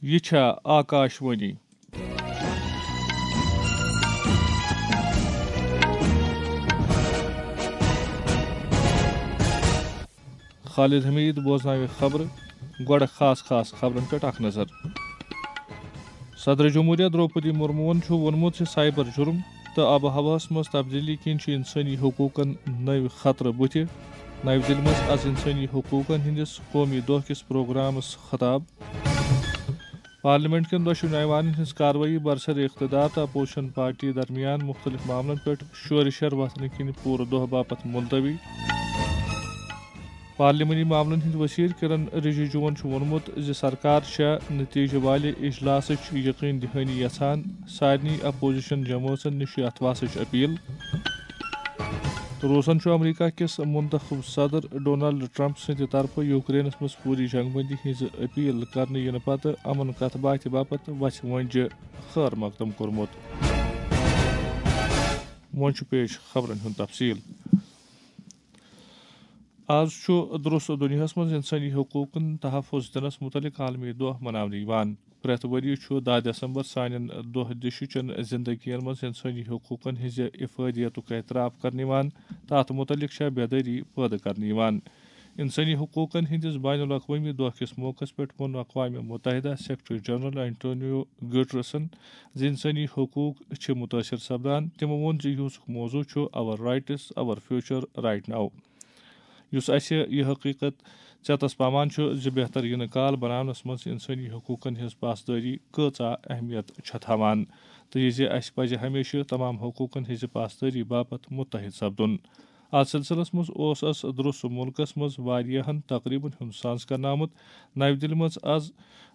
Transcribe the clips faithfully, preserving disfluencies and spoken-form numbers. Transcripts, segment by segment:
یہِ چھا آکاشوانی۔ خالد حمید بوزناوِ خبرٕ۔ گۄڈٕ خاص خاص خبرن پٮ۪ٹھ اکھ نظر۔ صدر جمہوریہ درٛوپدی مرموہن چھُ ووٚنمُت زِ سائبر جرم تہٕ آب و ہوہَس منٛز تبدیلی کِنۍ چھِ انسٲنی حقوقن نٔوۍ خطرٕ بُتھِ۔ نَوِ دِلہِ منٛز از انسٲنی حقوقن ہٕنٛدِس قومی دۄہ کِس پروگرامس خطاب۔ پارلیمنٹ کٮ۪ن دۄشوٕنی ایوانن ہٕنٛز کاروٲیی برسر اقتدار تہٕ اپوزیشن پارٹی درمیان مُختٔلِف معاملن پٮ۪ٹھ شورٕ شر وۄتھنہٕ کِنۍ پوٗرٕ دۄہ باپتھ ملتوی۔ پارلیمانی معاملن ہٕنٛدۍ وزیر کرن رجیجوَن چھُ ووٚنمُت زِ سرکار چھےٚ نتیجہٕ والہِ اجلاسٕچ یقین دہانی یژھان، سارنٕے اپوزیشن جمٲژن نِش چھِ اتھ واسٕچ اپیل۔ روسن چھُ امریکہ کِس منتخب صدر ڈونلڈ ٹرمپ سٕنٛدِ طرفہٕ یوکرینس منٛز فوری جنگ بندی ہٕنٛز اپیل کرنہٕ یِنہٕ پتہٕ امن کتھ باتھِ باپتھ وژھِ وٲنجہِ خٲر مقدم کوٚرمُت۔ وۄنۍ چھُ پیش خبرن ہُنٛد تفصیل۔ آز چھُ درٛوس دُنیاہَس منٛز اِنسٲنی حقوٗقَن تحفظ دِنَس مُتعلِق عالمی دۄہ مَناونہٕ یِوان۔ پرٛٮ۪تھ ؤرۍ یہِ چھُ دَہ دسمبر سانٮ۪ن دۄہ دِشہِ چٮ۪ن زِندگیَن منٛز اِنسٲنی حقوٗقَن ہٕنٛزِ افٲدیتُک اعتراف کرنہٕ یِوان تہٕ اَتھ مُتعلِق چھےٚ بیدٲری پٲدٕ کرنہٕ یِوان۔ اِنسٲنی حقوٗقَن ہٕنٛدِس بین الاقوٲمی دۄہ کِس موقعس پٮ۪ٹھ ووٚن اقوام مُتحدہ سیکرٹری جنرل اینٹونیو گیوٹرسن زِ اِنسٲنی حقوٗق چھِ مُتٲثِر سپدان۔ تِمو ووٚن زِ یِہُس موضوع چھُ Our Rights, Our Future Right Now۔ یُس اَسہِ یہِ حقیٖقت ژٮ۪تَس پاوان چھُ زِ بہتر یِنہٕ کال بناونَس منٛز اِنسٲنی حقوٗقَن ہٕنٛز پاسدٲری کۭژاہ اہمیت چھےٚ تھاوان، تہٕ یہِ زِ اَسہِ پَزِ ہمیشہِ تمام حقوٗقَن ہٕنٛزِ پاسدٲری باپتھ مُتحد سپدُن۔ اَتھ سلسلس منٛز اوس اَس درٛوس مُلکَس منٛز واریاہَن تقریٖبَن ہُنٛد سانز کرنہٕ آمُت۔ نَوِ دِلہِ منٛز آز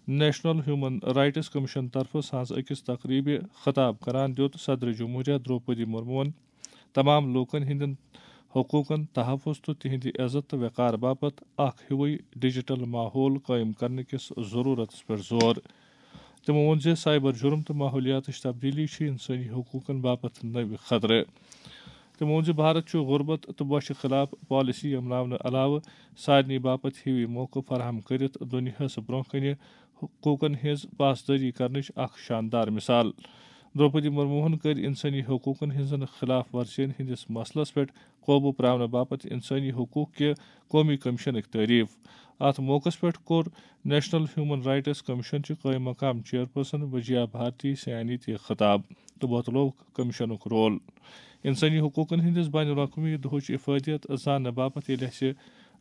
نیشنل ہیومن رائٹس کمیشن طرفہٕ سانز أکِس تقریٖبہِ خطاب کران دیُت صدر جمہوریہ درٛوپدی مرموہن تمام لوٗکن ہٕنٛدٮ۪ن حقوٗقن تحفظ تہٕ تِہنٛدِ عزت تہٕ وقار باپتھ اکھ ہیوٗے ڈیجیٹل ماحول قٲیِم کرنہٕ کِس ضروٗرتس پٮ۪ٹھ زور۔ تِمو ووٚن زِ سائبر جرم تہٕ ماحولیاتٕچ تبدیلی چھِ انسٲنی حقوٗقن باپتھ نٔوۍ خطرٕ۔ تِمو ووٚن زِ بھارت چھُ غربت تہٕ بۄچھِ خلاف پالیسی عملاونہٕ علاوٕ سارنٕے باپتھ ہِوی موقعہٕ فراہم کٔرِتھ دُنیاہَس برٛونٛہہ کنہِ حقوٗقن ہٕنٛز پاسدٲری کرنٕچ اکھ شاندار مثال۔ درٛوپدی مرموہن کٔرۍ انسٲنی حقوٗقن ہٕنٛزن خلاف ورزین ہٕنٛدِس مسلس پٮ۪ٹھ قوبوٗ پراونہٕ باپتھ انسٲنی حقوٗق کہِ قومی کمیشنٕکۍ تعریف۔ اتھ موقعس پٮ۪ٹھ کوٚر نیشنل ہیومن رائٹس کمیشن چہِ قٲیِم مقام چیئرپرسن وجیا بھارتی سیانی تہِ خطاب تہٕ وۄتلوو کمیشنُک رول۔ انسٲنی حقوٗقن ہٕنٛدِس بین الاقوٲمی دۄہٕچ افٲدیت زاننہٕ باپتھ ییٚلہِ اَسہِ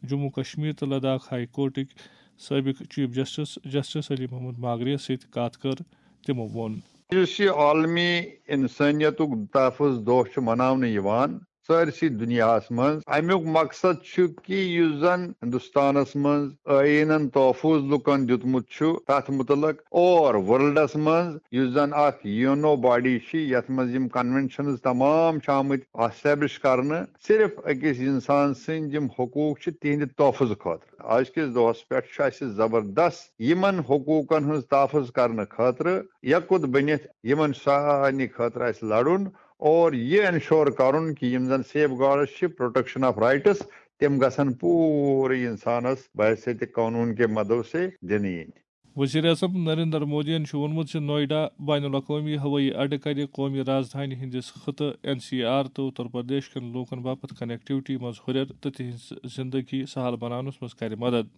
جموں کشمیر تہٕ لداخ ہائی کورٹٕکۍ سٲبق chief justice, justice Ali Mohammad Magrey یَس سۭتۍ کتھ کٔر، تِمو ووٚن۔ یُس یہِ عالمی انسٲنیتُک تحفظ دۄہ چھُ مناونہٕ یِوان سٲرسٕے دُنیاہَس منٛز، اَمیُک مقصد چھُ کہِ یُس زَن ہندوستانَس منٛز ٲیٖنَن تحفظ لُکَن دیُتمُت چھُ، تَتھ مُتعلق اور ورلڈَس منٛز یُس زَن اکھ یونو باڈی چھِ، یَتھ منٛز یِم کنونشنز تمام چھِ آمٕتۍ اسٹیبلش کرنہٕ، صرف أکِس انسان سٕنٛدۍ یِم حقوٗق چھِ، تِہنٛدِ تحفظ خٲطرٕ۔ أزکِس دۄہس پٮ۪ٹھ چھُ اَسہِ زبردست یِمن حقوٗقن ہٕنٛز تحفظ کرنہٕ خٲطرٕ یکوت بٔنِتھ یِمن سارنٕے خٲطرٕ اَسہِ لڑُن اور یہِ انشور کرُن کہِ یِم زن سیف گارڈز چھِ، پروٹیکشن آف رائٹس، تِم گژھن پوٗرٕ انسانس بحیثیت قانون کے مدو سے دِنہٕ یِنۍ۔ وزیر اعظم نریندر مودیَن چھُ ووٚنمُت زِ نوئیڈا بین الاقوٲمی ہوٲیی اڈٕ کَرِ قومی رازدھانی ہٕنٛدِس خطہٕ این سی آر تہٕ اتر پردیش کٮ۪ن لوٗکَن باپتھ کنیکٹیوٹی منٛز ہُرٮ۪ر تہٕ تِہنٛز زندگی سہل بناونَس منٛز کَرِ مدد۔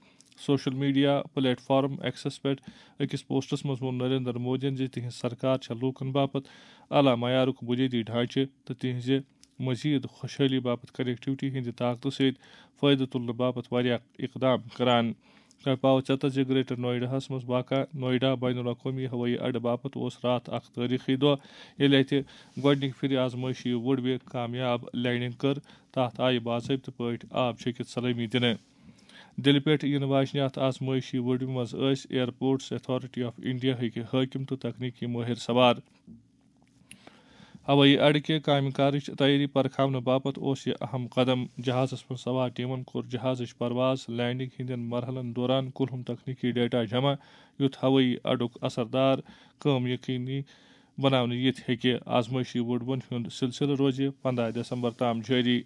Social media plate form access پٮ۪ٹھ أکِس پوسٹَس منٛز ووٚن نریندر مودیَن زِ تِہنٛز سرکار چھےٚ لوٗکَن باپتھ اعلیٰ معیارُک بُنیٲدی ڈھانچہٕ تہٕ تِہنٛزِ مزید خوشحٲلی باپتھ کنیکٹیوٹی ہٕنٛدِ طاقتہٕ سۭتۍ فٲیدٕ تُلنہٕ باپتھ واریاہ اقدام کران۔ تۄہہِ پاوٕ ژٮ۪تس زِ گریٹر نوئیڈاہَس منٛز واقع نوئیڈا بین الاقوٲمی ہوٲیی اڈٕ باپتھ اوس راتھ اکھ تٲریخی دۄہ، ییٚلہِ اتہِ گۄڈٕنِکہِ پھِرِ آزمٲیشی وُڈ وے کامیاب لینڈنگ کٔر۔ تتھ آیہِ باضٲبطہٕ پٲٹھۍ آب چھٔکِتھ سلٲمی دِنہٕ۔ دِلہِ پٮ۪ٹھ یِنہٕ واجنہِ اتھ آزمٲیشی وُڈ وے منٛز ٲسۍ ایئرپورٹس اتھارٹی آف انڈیا ہٕکۍ حٲکِم تہٕ تکنیکی مٲہِر سوار۔ ہوٲیی اڈٕ کہِ کامہِ کارٕچ تیٲری پرکھاونہٕ باپتھ اوس یہِ اہم قدم۔ جہازس منٛز سوار ٹیمن کوٚر جہازٕچ پرواز لینڈنگ ہٕنٛدٮ۪ن مرحلن دوران کُلہُم تکنیکی ڈیٹا جمع، یُتھ ہوٲیی اڈُک اثردار کٲم یقینی بناونہٕ یِتھ ہیٚکہِ۔ آزمٲیشی وُڈ وین ہُنٛد سلسلہٕ روزِ پنٛداہ دسمبر تام جٲری۔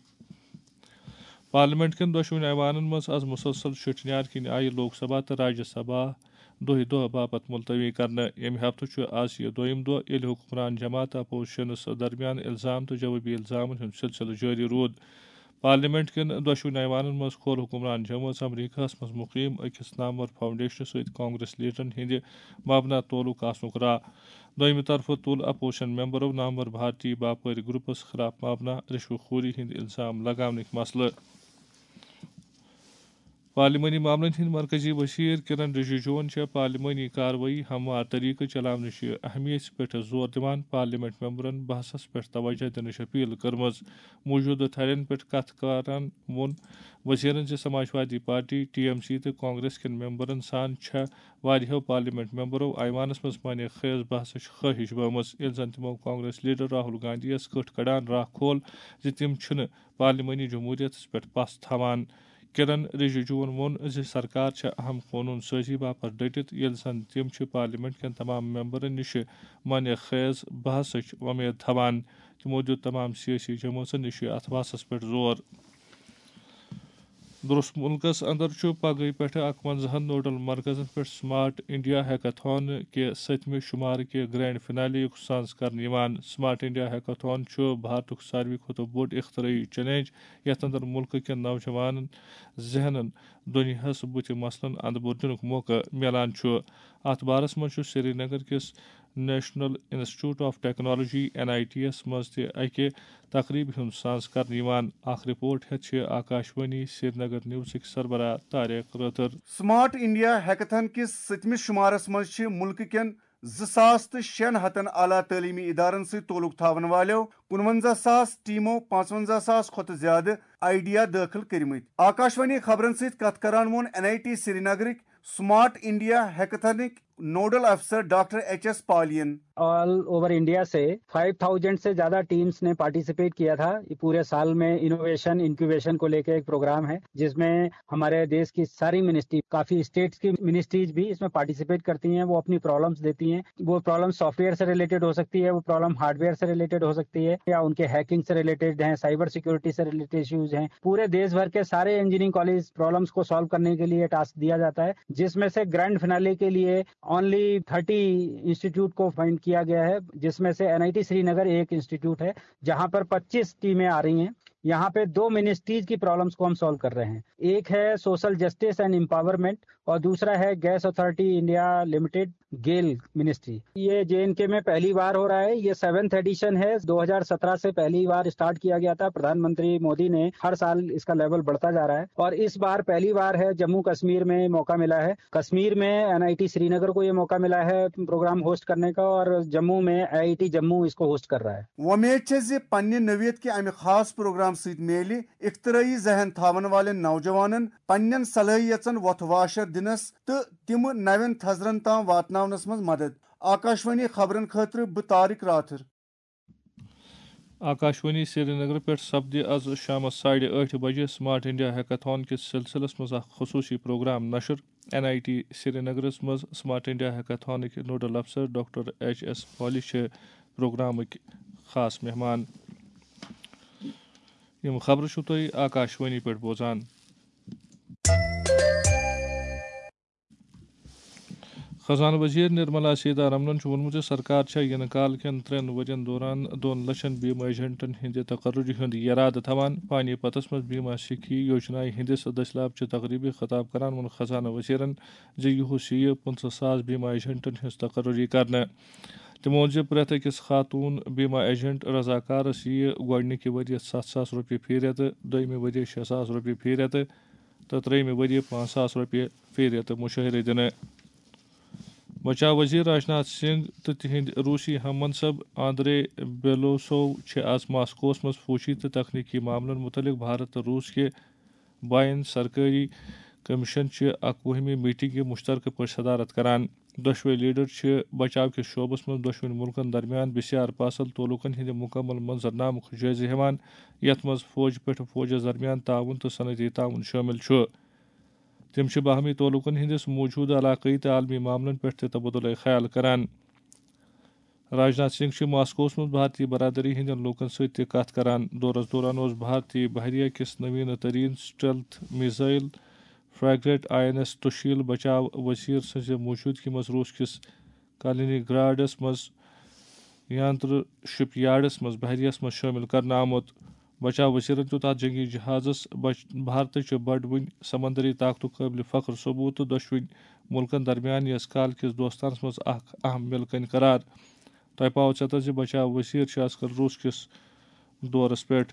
پارلیمنٹ کٮ۪ن دۄشوٕنی ایوانن منٛز از مسلسل شُٹھنیار کِنۍ آیہِ لوک سبھا تہٕ راجیہ سبھا دۄہہِ دۄہ باپتھ ملتوی کرنہٕ۔ ییٚمہِ ہفتہٕ چھُ آز یہِ دوٚیِم دۄہ، ییٚلہِ حکمران جماعت اپوزیشنس درمیان الزام تہٕ جوابی الزامن ہُنٛد سلسلہٕ جٲری روٗد۔ پارلیمنٹ کٮ۪ن دۄشوٕنی ایوانن منٛز کھول حکمران جمٲژ امریکہس منٛز مقیم أکِس نامور فاؤنڈیشنہٕ سۭتۍ کانگریس لیڈرن ہٕنٛدِ مبنا تعلق آسنُک راہ۔ دوٚیمہِ طرفہٕ تُل اپوزیشن ممبرو نامور بھارتی باپٲرۍ گروپس خلاف مبنا رشوٕ خوری ہٕنٛدۍ الزام لگاونٕکۍ مسلہٕ۔ پارلیمانی معاملن ہٕنٛدۍ مرکزی وزیر کرن رجیجوَن چھےٚ پارلیمانی کاروٲیی ہموار طریقہٕ چلاونٕچ اہمیت پٮ۪ٹھ زور دِوان پارلیمنٹ ممبرن بحثس پٮ۪ٹھ توجہ دِنٕچ اپیل کٔرمٕژ۔ موجودٕ تھرٮ۪ن پٮ۪ٹھ کتھ کران ووٚن وزیرن زِ Samajwadi party, T M C تہٕ کانگریس کٮ۪ن ممبرن سان چھےٚ واریاہو پارلیمنٹ ممبرو ایوانس منٛز معنی خیز بحثٕچ خٲہش بٲومٕژ، ییٚلہِ زن تِمو کانگریس لیڈر راہل گاندھی یس کٔٹھ کڑان راہ کھول زِ تِم چھِنہٕ پارلیمانی جمہوریتس پٮ۪ٹھ پژھ تھاوان۔ کرن رجیجوَن ووٚن زِ سرکار چھےٚ اہم قونوٗن سٲزی باپتھ ڈٔٹِتھ، ییٚلہِ زن تِم چھِ پارلیمنٹ کٮ۪ن تمام ممبرن نِش معنی خیز بحثٕچ وۄمید تھاوان۔ تِمو دیُت تمام سیٲسی جمٲژن نِش اتھ بحثس پٮ۪ٹھ زور۔ درست مُلکَس اندر چھُ پگہٕے پٮ۪ٹھٕ اَکوَنزاہَن نوڈل مرکزَن پٮ۪ٹھ سمارٹ انڈیا ہیکاتھان کہِ سٔتمہِ شُمارٕ کہِ گرینڈ فنالے یُک سانز کرنہٕ یِوان۔ سمارٹ انڈیا ہیکاتھان چھُ بھارتُک ساروی کھۄتہٕ بوٚڑ اختراعی چیلنج، یَتھ اندر مُلکہٕ کٮ۪ن نوجوانَن ذہنَن دُنیاہَس بُتھِ مسلن اندٕ بُر دِنُک موقعہٕ میلان چھُ۔ اَتھ بارَس منٛز چھُ سرینگر کِس national institute of technology, N I T یَس منٛز تہِ اَکہِ تقریبہِ ہُنٛد سانز کرنہٕ یِوان۔ اکھ رپورٹ ہیتھ چھِ آکاشوانی سرینگر نیوزٕکۍ سربراہ طارق رٲتھر۔ سمارٹ انڈیا ہیکتھان کِس سٔتمِس شمارس منٛز چھِ مُلکہٕ کٮ۪ن زٕ ساس تہٕ شیٚن ہتن اعلیٰ تعلیمی ادارن سۭتۍ تعلق تھاون والٮ۪و کُنونزہ ساس ٹیمو پانٛژونزہ ساس کھۄتہٕ زیادٕ آئیڈیا دٲخل کٔرمٕتۍ۔ آکاشوانی خبرن سۭتۍ کتھ کران ووٚن این آئی ٹی سرینگرٕکۍ سمارٹ انڈیا ہیکتھانٕکۍ نوڈل افسر ڈاکٹر ایچ ایس پالین۔ آل اوور انڈیا سے فائیو تھاؤزینڈ سے زیادہ ٹیمز نے پارٹیسپیٹ کیا تھا۔ یہ پورے سال میں انوویشن انکیوبیشن کو لے کے ایک پروگرام ہے، جس میں ہمارے دیش کی ساری منسٹری، کافی اسٹیٹس کی منسٹریز بھی اس میں پارٹیسپیٹ کرتی ہیں۔ وہ اپنی پرابلمس دیتی ہیں۔ وہ پرابلم سافٹ ویئر سے ریلیٹڈ ہو سکتی ہے، وہ پرابلم ہارڈ ویئر سے ریلیٹڈ ہو سکتی ہے، یا ان کے ہیکنگ سے ریلیٹڈ ہیں، سائبر سیکورٹی سے ریلیٹڈ ایشوز ہیں۔ پورے دیش بھر کے سارے انجینئرنگ کالج پرابلمس کو سالو کرنے کے لیے ٹاسک دیا جاتا ہے، جس میں سے گرینڈ فنالے کے لیے اونلی تھرٹی انسٹیٹیوٹ کو فائنڈ کیا گیا ہے، جس میں سے این آئی ٹی سری نگر ایک انسٹیٹیوٹ ہے، جہاں پر پچیس ٹیمیں آ رہی ہیں۔ یہاں پہ دو منسٹریز کی پرابلمس کو ہم سالو کر رہے ہیں۔ ایک ہے سوشل جسٹس اینڈ امپاورمنٹ، اور دوسرا ہے گیس اتھارٹی انڈیا لمیٹڈ، گیل منسٹری۔ یہ جے این کے میں پہلی بار ہو رہا ہے۔ یہ سیونتھ ایڈیشن ہے، دو ہزار سترہ سے پہلی بار اسٹارٹ کیا گیا تھا۔ پردھان منتری مودی نے، ہر سال اس کا لیول بڑھتا جا رہا ہے، اور اس بار پہلی بار ہے جموں کشمیر میں موقع ملا ہے۔ کشمیر میں این آئی ٹی سری نگر کو یہ موقع ملا ہے پروگرام ہوسٹ کرنے کا، اور جموں میں آئی آئی ٹی جموں اس کو ہوسٹ کر رہا ہے۔ وۄمید چھےٚ زِ پننہِ نوعیت کہِ امہِ خاص پروگرام سۭتۍ میلہِ اختراعی ذہن تھاون والٮ۪ن نوجوانن پننٮ۪ن صلٲحیژن وۄتھٕ واشر دِنس تہٕ تِم نوٮ۪ن تھزرن تام واتناونس منٛز مدد۔ آکاشوانی خبرن خٲطرٕ بہٕ طارق راتھر۔ آکاشوانی سرینگر پٮ۪ٹھ سپدِ از شامس ساڑِ ٲٹھِ بجہِ سمارٹ انڈیا ہیکاتھان کِس سلسلس منٛز اکھ خصوصی پروگرام نشر۔ این آئی ٹی سرینگرس منٛز سمارٹ انڈیا ہیکاتھانٕکۍ نوڈل افسر ڈاکٹر ایچ ایس پالی چھِ پروگرامٕکۍ خاص مہمان۔ یِم خبرٕ چھِو تُہۍ آکاشوانی پٮ۪ٹھ بوزان۔ خزانہٕ وزیر نرملا سیتارمنن چھُ ووٚنمُت زِ سرکار چھےٚ یِنہٕ کال کٮ۪ن ترٛٮ۪ن ؤرین دوران دۄن لچھن بیمہ ایجنٹن ہٕنٛدِ تقرری ہُنٛد یرادٕ تھاوان۔ پانی پتس منٛز بیمہ سکھی یوجنایہِ ہٕنٛدِس دٔسۍ لابچہِ تقریبہِ خطاب کران ووٚن خزانہٕ وزیرن زِ یُہُس یِیہِ پٕنٛژٕہ ساس بیمہ ایجنٹن ہٕنٛز تقرری کرنہٕ۔ تِمو ووٚن زِ پرٛٮ۪تھ أکِس خاتوٗن بیمہ ایجنٹ رضاکارس یِیہِ گۄڈٕنِکہِ ؤریہِ ستھ ساس رۄپیہِ فی رٮ۪تہٕ، دوٚیمہِ ؤریہِ شےٚ ساس رۄپیہِ فی رٮ۪تہٕ تہٕ ترٛیٚیمہِ ؤریہِ پانٛژھ ساس رۄپیہِ فی رٮ۪تہٕ مُشٲہرٕ دِنہٕ۔ بچاو وزیر راجناتھ سنگھ تہٕ تِہنٛدۍ روسی ہم منصب آندرے بیلوسوو چھِ آز ماسکوس منٛز فوجی تہٕ تکنیکی معاملن مُتعلق بھارت تہٕ روس کہِ بین سرکٲری کمیشن چہِ اکوُہمہِ میٹنگہِ مشترکہٕ پٲٹھۍ صدارت کران۔ دۄشوے لیڈر چھِ بچاو کِس شعبس منٛز دۄشوٕنی مُلکن درمیان بسیار پاسل تعلقن ہٕنٛدِ مکمل منظرنامُک جٲیزٕ ہٮ۪وان، یتھ منٛز فوج پٮ۪ٹھ فوجس درمیان تعاون تہٕ صنعتی تعاون شٲمِل چھُ۔ تِم چھِ باہمی تعلقن ہٕنٛدِس موجودٕ علاقٲیی تہٕ عالمی معاملن پٮ۪ٹھ تہِ تبادلہ خیال کران۔ راجناتھ سنگھ چھِ ماسکوس منٛز بھارتی برادری ہٕنٛدٮ۪ن لوٗکن سۭتۍ تہِ کتھ کران۔ دورس دوران اوس بھارتی بحریہ کِس نویٖنہٕ تریٖن stealth missile frigate I N S Tushil بچاو وزیر سٕنٛزِ موجودگی منٛز روٗس کِس کالینی گراڈس منٛز یانتر شپ یارڈس منٛز بحریہس منٛز شٲمِل کرنہٕ آمُت۔ بچاو وزیرن دیُت اتھ جنگی جہازس بچ-، بھارتٕچ بڑوٕنۍ سمندری طاقتُک قٲبلِ فخر ثبوت تہٕ دۄشوٕنۍ مُلکن درمیان یس کال کِس دوستانس منٛز اکھ اہم مِلکن قرار۔ تۄہہِ پاوو ژٮ۪تس زِ بچاو وزیر چھِ از کل روٗس کِس دورس پٮ۪ٹھ۔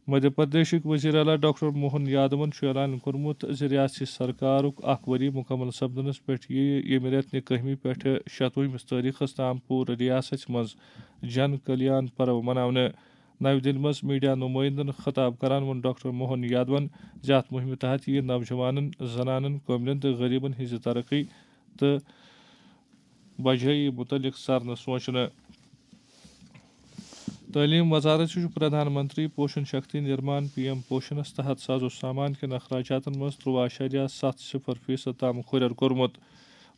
مدھیہ پردیشٕکۍ وزیر اعلیٰ ڈاکٹر موہن یادون چھُ اعلان کوٚرمُت زِ ریاستی سرکارُک اکھ ؤری مکمل سپدنس پٮ۪ٹھ یِیہِ ییٚمہِ رٮ۪تہٕ نہِ کٔہمہِ پٮ۪ٹھٕ شتوُہمِس تٲریخس تام پوٗرٕ ریاستس منٛز جن کلیان پرو مناونہٕ۔ نَوِ دِلہِ منٛز میڈیا نُمٲیندن خطاب کران ووٚن ڈاکٹر موہن یادون زِ اتھ مُہِمہِ تحت یِیہِ نوجوانن، زنانن، کٲملن تہٕ غریبن ہٕنٛزِ ترقی تہٕ بجٲیی مُتعلق سرنہٕ سونٛچنہٕ۔ تعلیٖم وزارت چھُ پردھان منتری پوشن شکتی نرمان پی ایم پوشنس تحت ساز و سامان کٮ۪ن اخراجاتن منٛز ترٛوواہ اعشاریہ ستھ صفر فیصد تام ہُرٮ۪ر کوٚرمُت۔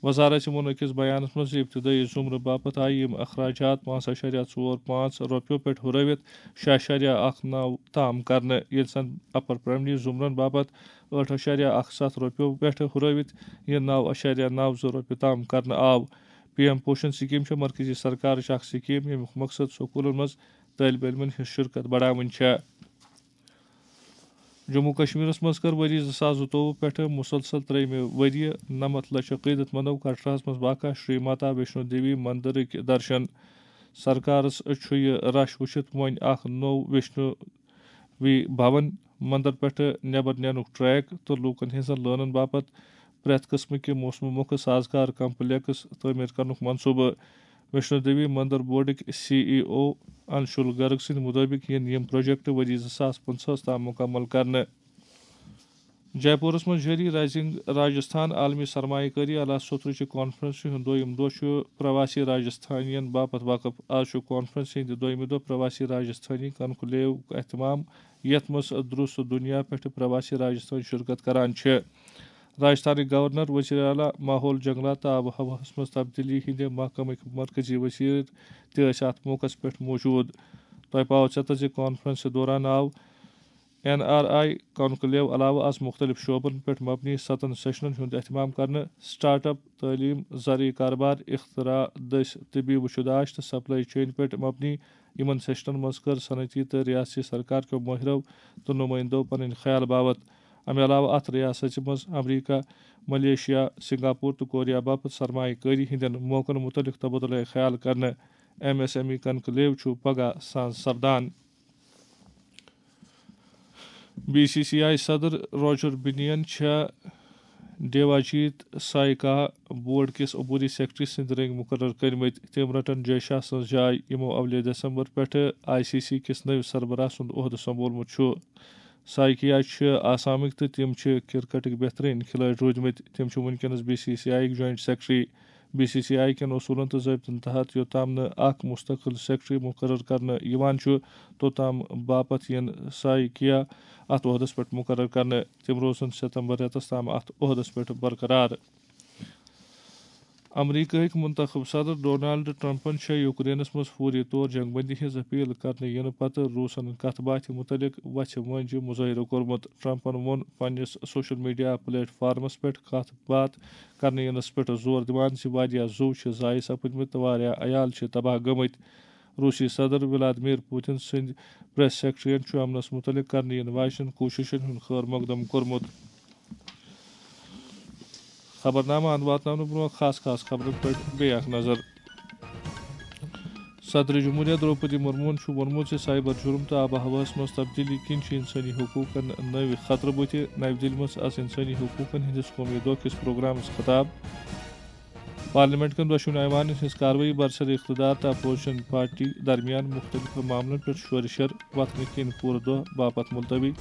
وزارت چھِ ووٚن أکِس بیانس منٛز زِ ابتدٲیی زُمرٕ باپتھ آیہِ یِم اخراجات پانٛژھ اعشاریہ ژور پانٛژھ رۄپیو پٮ۪ٹھ ہُرٲوِتھ شےٚ اعشاریہ اکھ نَو تام کرنہٕ، ییٚلہِ زن اپر پرائمری زُمرن باپتھ ٲٹھ اعشاریہ اکھ ستھ رۄپیو پٮ۪ٹھ ہُرٲوِتھ یہِ نَو اعشاریہ نَو زٕ رۄپیہِ تام کرنہٕ آو۔ پی ایم پوشن سکیٖم چھےٚ مرکزی سرکارٕچ اکھ سکیٖم، ییٚمیُک مقصد سکوٗلن منٛز طٲلبہِ علمن ہٕنٛز شرکت بڑاوٕنۍ چھےٚ۔ جموں کشمیرس منٛز کٔر ؤری زٕ ساس زٕتووُہ پٮ۪ٹھٕ مسلسل ترٛیٚیمہِ ؤریہِ نَمَتھ لچھ عقیدت مندو کٹراہس منٛز واقع شری ماتا ویشنو دیوی مندرٕکۍ درشن۔ سرکارس چھُ یہِ رش وٕچھِتھ وۄنۍ اکھ نوٚو ویشنو وی بھون مندر پٮ۪ٹھٕ نٮ۪بر نینُک ٹریک تہٕ لوٗکن ہٕنٛزن لٲنن باپتھ پرٛٮ۪تھ قٕسمہٕ کہِ موسمہٕ مۄکھٕ سازگار کمپلیکس تعمیٖر کرنُک منصوٗبہٕ۔ ویشنو دیوی مندر بورڈٕکۍ سی ای او انشول گرگ سٕنٛدِ مُطٲبِق یِن یِم پروجیکٹ ؤری زٕ ساس پٕنٛژٕہَس تام مُکمل کرنہٕ۔ جے پوٗرَس منٛز جٲری رائزنگ راجستھان عالمی سرمایہ کٲری اعلیٰ سوترٕچہِ کانفرنسہِ ہُنٛد دوٚیُم دۄہ چھُ پرواسی راجستھانین باپتھ وقف۔ آز چھُ کانفرنسہِ ہٕنٛدِ دوٚیمہِ دۄہ پرواسی راجستھانی کنکلیوُک اہتمام، یَتھ منٛز درُس دُنیا پٮ۪ٹھٕ پرواسی راجستھانی شرکت کران چھِ۔ راجستھانٕکۍ گورنر، وزیر اعلیٰ، ماحول، جنگلات تہٕ آب و ہوہَس منٛز تبدیلی ہٕنٛدِ محکمٕکۍ مرکزی وزیر تہِ ٲسۍ اَتھ موقعس پٮ۪ٹھ موجود۔ تۄہہِ پاوو ژٮ۪تس زِ کانفرنسہِ دوران آو این آر آئی کانکلیو علاوٕ آز مُختٔلِف شعبن پٮ۪ٹھ مبنی ستن سیشنن ہُنٛد اہتمام کرنہٕ، سٹارٹ اپ، تعلیٖم، زرعی کارٕبار، اختراع، دٔسۍ، طبی وُچھُ داش تہٕ سپلائی چین پٮ۪ٹھ مبنی۔ یِمن سیشنن منٛز کٔر صنعتی تہٕ ریاستی سرکار کیو مٲہرو تہٕ نُمٲیندو پنٕنۍ خیال باوت۔ امہِ علاوٕ اتھ ریاستہِ منٛز امریکہ، ملیشیا، سنگاپور تہٕ کوریا باپتھ سرمایہ کٲری ہٕنٛدٮ۪ن موقعن مُتعلق تبادلہ خیال کرنہٕ۔ M S M E conclave چھُ پگاہ ساز سپدان۔ بی سی سی آئی صدر روجر بنین چھےٚ دیواجیت سائیکا بورڈ کِس عبوری سیکرٹری سٕنٛدۍ رٔنگۍ مُقرر کٔرمٕتۍ۔ تِم رٹن جے شاہ سٕنٛز جاے، یِمو اولہِ دسمبر پٮ۪ٹھٕ آئی سی سی کِس نٔوِس سربراہ سُنٛد عہدٕ سنبھولمُت چھُ۔ سائیکیا چھِ آسامٕکۍ تہٕ تِم چھِ کرکٹٕکۍ بہترین کھلٲڑۍ روٗدمٕتۍ۔ تِم چھِ وُنکیٚنس بی سی سی آئی یٕکۍ joint secretary. B C C I کٮ۪ن اصوٗلن تہٕ ضٲبطن تحت یوٚتام نہٕ اکھ مستقل سیکرٹری مُقرر کرنہٕ یِوان چھُ، توٚتام باپتھ یِن سائیکیا اتھ عہدس پٮ۪ٹھ مُقرر کرنہٕ۔ تِم روزن ستمبر رٮ۪تس تام اتھ عہدس پٮ۪ٹھ برقرار۔ امریکہٕکۍ منتخب صدر ڈونالڈ ٹرمپن چھےٚ یوکرینس منٛز فوری طور جنگ بندی ہٕنٛز اپیل کرنہٕ یِنہٕ پتہٕ روٗسن کتھ باتھِ مُتعلق وژھِ وٲنجہِ مظٲہرٕ کوٚرمُت۔ ٹرمپن ووٚن پننِس سوشل میڈیا پلیٹ فارمس پٮ۪ٹھ کتھ باتھ کرنہٕ یِنس پٮ۪ٹھ زور دِوان زِ واریاہ زُو چھِ ضایع سپٕدمٕتۍ تہٕ واریاہ عیال چھِ تباہ گٔمٕتۍ۔ روٗسی صدر ولادمیر پوتن سٕنٛدۍ پریس سیکرٹریَن چھُ امنس مُتعلق کرنہٕ یِنہٕ واجنٮ۪ن کوٗششن ہُنٛد خٲر مقدم کوٚرمُت۔ خبرنامہٕ اند واتناونہٕ برونٛہہ خاص خاص خبرن پٮ۪ٹھ بیٚیہِ اکھ نظر۔ صدر جمہوریہ درٛوپدی مرموہن چھُ ووٚنمُت زِ سائبر جرم تہٕ آب و ہوہَس منٛز تبدیلی کِنۍ چھِ انسٲنی حقوٗقن نٔوۍ خطرٕ بُتھِ۔ نَوِ دِلہِ منٛز آز انسٲنی حقوٗقن ہٕنٛدِس قومی دۄہ کِس پروگرامس خطاب۔ پارلیمنٹ کٮ۪ن دۄشوٕنی ایوانن ہٕنٛز کاروٲیی برسر اقتدار تہٕ اپوزیشن پارٹی درمیان مُختٔلِف معاملن پٮ۪ٹھ شورِ شر وۄتھنہٕ کِنۍ پوٗرٕ دۄہ باپتھ ملتوی۔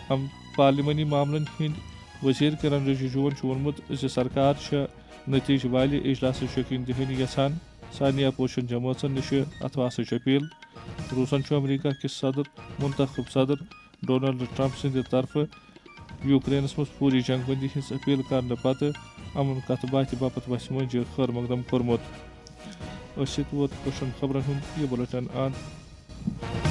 ہم پارلیمانی معاملن ہٕنٛدۍ وزیر کرن رجیجوَن چھُ ووٚنمُت زِ سرکار چھےٚ نتیجہٕ والہِ اجلاسٕچ یقین دہانی یژھان۔ سارنٕے اپوزیشن جمٲژن نِش چھِ اتھواسٕچ اپیل۔ روٗسن چھُ امریکہ کِس صدر، منتخب صدر ڈونلڈ ٹرمپ سٕنٛدِ طرفہٕ یوکرینس منٛز فوری جنگ بندی ہٕنٛز اپیل کرنہٕ پتہٕ امن کتھ باتھِ باپتھ وژھِ وٲنجہِ خٲر مقدم کوٚرمُت۔ أتھۍ سۭتۍ ووت پُرشن خبرن ہُنٛد یہِ بُلٹن اند۔